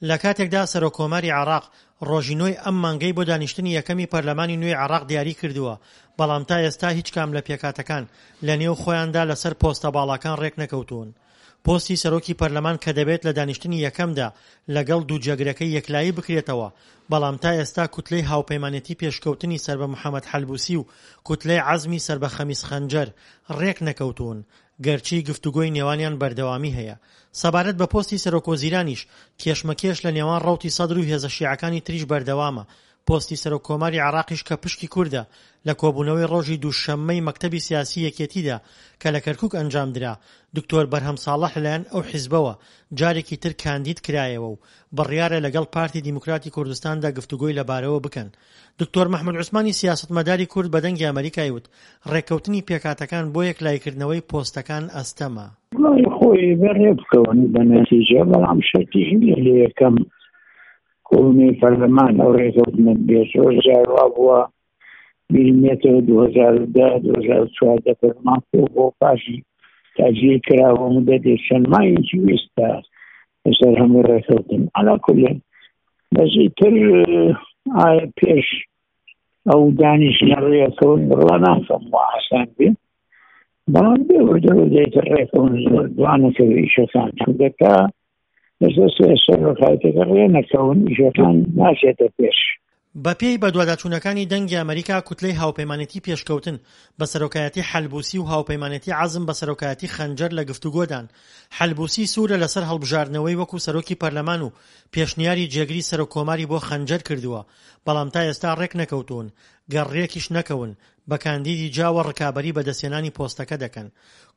لە کاتێکدا سەرۆک کۆماری عێراق ڕۆژی نۆی ئەم مانگەی بۆ دانیشتنی یەکەمی پەرلەمانی نوێی عێراق دیاری کردووە، بەڵام تا ئێستا هیچ کام لە پێکهاتەکان لە نێو خۆیاندا لەسەر پۆستە باڵاکان ڕێکنەکەوتوون. پۆستی سەرۆکی پەرلەمان کە دەبێت لە دانیشتنی یەکەمدا لەگەڵ دوو جێگرەکەی یەکلایی بکرێتەوە، بەڵام تا ئێستا کوتلەی هاوپەیمانێتی پێشکەوتنی سەر بە محەمەد حەلبوسی و کوتلەی عەزمی سەر بە خەمیس خەنجەر ڕێکنەکەوتوون، گەرچی گفتوگۆی نێوانیان بەردەوامی هەیە. سەبارەت بە پۆستی سەرۆکوەزیرانیش، کێشمەکێش لە نێوان ڕەوتی سەدر و هێزە شیعەکانی تریش بەردەوامە، پۆستی سەرۆک کۆماری عێراقیش کە پشکی کوردە، لە کۆبوونەوەی ڕۆژی دووشەممەی مەکتەبی سیاسی یەکێتیدا کە لە کەرکوک ئەنجامدرا، دکتۆر بەرهەم ساڵح لەلایەن ئەو حیزبەوە جارێکی تر کاندید کرایەوە و بڕیارە لەگەڵ پارتی دیموکراتی کوردستاندا گفتوگۆی لەبارەوە بکەن. دکتۆر مەحمود عوسمانی سیاسەتمەداری کورد بە دەنگی ئەمەریکای وت، ڕێککەوتنی پێکهاتەکان بۆ یەکلاییکردنەوەی پۆستەکان ئەستەمە. وەڵی خۆی بە ڕێبکەون بە نەتیجە، بەڵام شەرتیش نییە لە یەکەم کۆبوونەوەی پەرلەمان ئەو ڕێکەوتنە بێت. زۆر جار وا بووە بیرم بێتەوە 2010 2014 پەرلەمان کۆبووە پاشی تاجیر کراوە مدەتێک چەند مانگێکی ویست تا لەسەر هەموو ڕێکەوتن. عەلا کولێن بەس ئیتر ئایا پێش ئەو دانیشتنە ڕێکەون بڕوا ناکەم وا ئاسان بێ، بەڵام بێ وردە وردە ئیتر ڕێکەون زۆر دوانەکەوێ ئیشەکان، چونکە تا لەسەر سەرۆکایەتەکە ڕێ نەکەون ئیشەکان ناچێتە پێش. بەپێی بەدواداچوونەکانی دەنگی ئەمەریکا کوتلەی هاوپەیمانێتی پێشکەوتن بە سەرۆکایەتی حەلبوسی و هاوپەیمانێتی عەزم بە سەرۆکایەتی خەنجەر لە گفتوگۆدان. حەلبوسی سوورە لەسەر هەڵبژاردنەوەی وەکو سەرۆکی پەرلەمان و پێشنیاری جێگری سەرۆک کۆماری بۆ خەنجەر کردووە، بەڵام تا ئێستا ڕێکنەکەوتوون، گەر ڕێکیش نەکەون بە کاندیدی جیاوە ڕکابەری بەدەستهێنانی پۆستەکە دەکەن.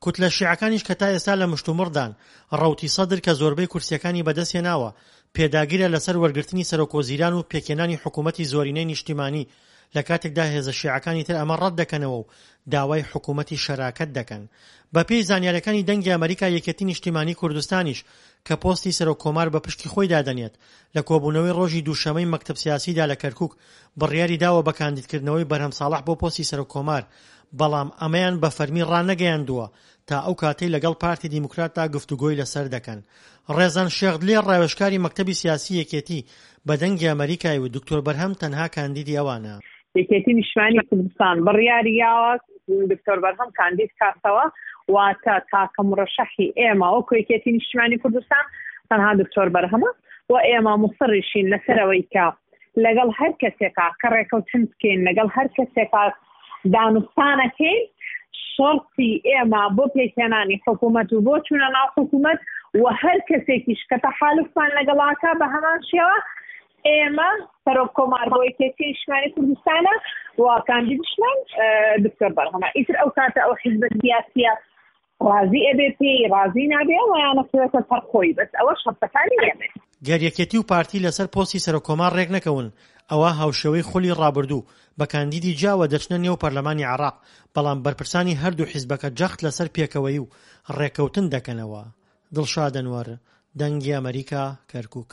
کوتلە شیعەکانیش کە تا ئێستا لە مشتومڕدان، ڕەوتی سەدر کە زۆربەی کورسییەکانی بەدەستهێناوە، پێداگرە لەسەر وەرگرتنی سەرۆکوەزیران و پێکهێنانی حکوومەتی زۆرینەی نیشتیمانی، لە کاتێکدا هێزە شیعەکانی تر ئەمە ڕەتدەکەنەوە و داوای حکوومەتی شەراکەت دەکەن. بەپێی زانیارییەکانی دەنگی ئەمەریکا یەکێتی نیشتیمانی کوردستانیش کە پۆستی سەرۆک کۆمار بە پشکی خۆی دادەنێت، لە کۆبوونەوەی ڕۆژی دووشەمەی مەکتەب سیاسیدا لە کەرکوک بڕیاری داوە بە کاندیدکردنەوەی بەرهەم ساڵح بۆ پۆستی سەرۆک کۆمار، بەڵام ئەمەیان بە فەرمی ڕانەگەیاندووە تا ئەو کاتەی لەگەڵ پارتی دیموکراتدا گفتوگۆی لەسەر دەکەن. ڕێزان شێخ دلێر ڕاوێژکاری مەکتەبی سیاسی یەکێتی بە دەنگی ئەمەریکای وت دکتۆر بەرهەم تەنها کاندیدی ئەوانە. یەکێتی نیشتمانی کوردستان بڕیاری یاوە دکتۆر بەرهەم کاندید کاتەوە، واتە تاکە مورەشەحی ئێمە وەکو یەکێتی نیشتمانی کوردستان تەنها دکتۆر بەرهەمە و ئێمە موسڕیشین لەسەر ئەوەی کە لەگەڵ هەر کەسێکا کە ڕێکەوتن بکەین، لەگەڵ هەر کەسێکا دانوستانەکەین، شەرتی ئێمە بۆ پێکهێنانی حکوومەت و بۆ چوونە ناو حکوومەت و هەر کەسێکیش کە تەحالوفمان لەگەڵاکا بە هەمان شێوە ئێمە سەرۆک کۆمار بۆ یەکێتی نیشتمانی کوردستانە و کاندیدیشمان دکتۆر بەرهەمە. ئیتر ئەو کاتە ئەو حیزبە سیاسیە ڕازی ئەبێ پێی ڕازی نابێ ئەوەیانە کەوێتە سەر خۆی بەس ئەوە شەرتەکانی ئێمەیە. گەر یەکێتی و پارتی لەسەر پۆستی سەرۆککۆمار رێکنەکەون، ئەوا هاوشێوەی خولی رابردوو بە کاندیدی جیاوە دەچنە نێو پەرلەمانی عێراق، بەڵام بەرپرسانی هەردوو حیزبەکە جەخت لەسەر پێکەوەیی و رێککەوتن دەکەنەوە. دڵشاد ئەنوەر، دەنگی ئەمەریکا، کەرکوک.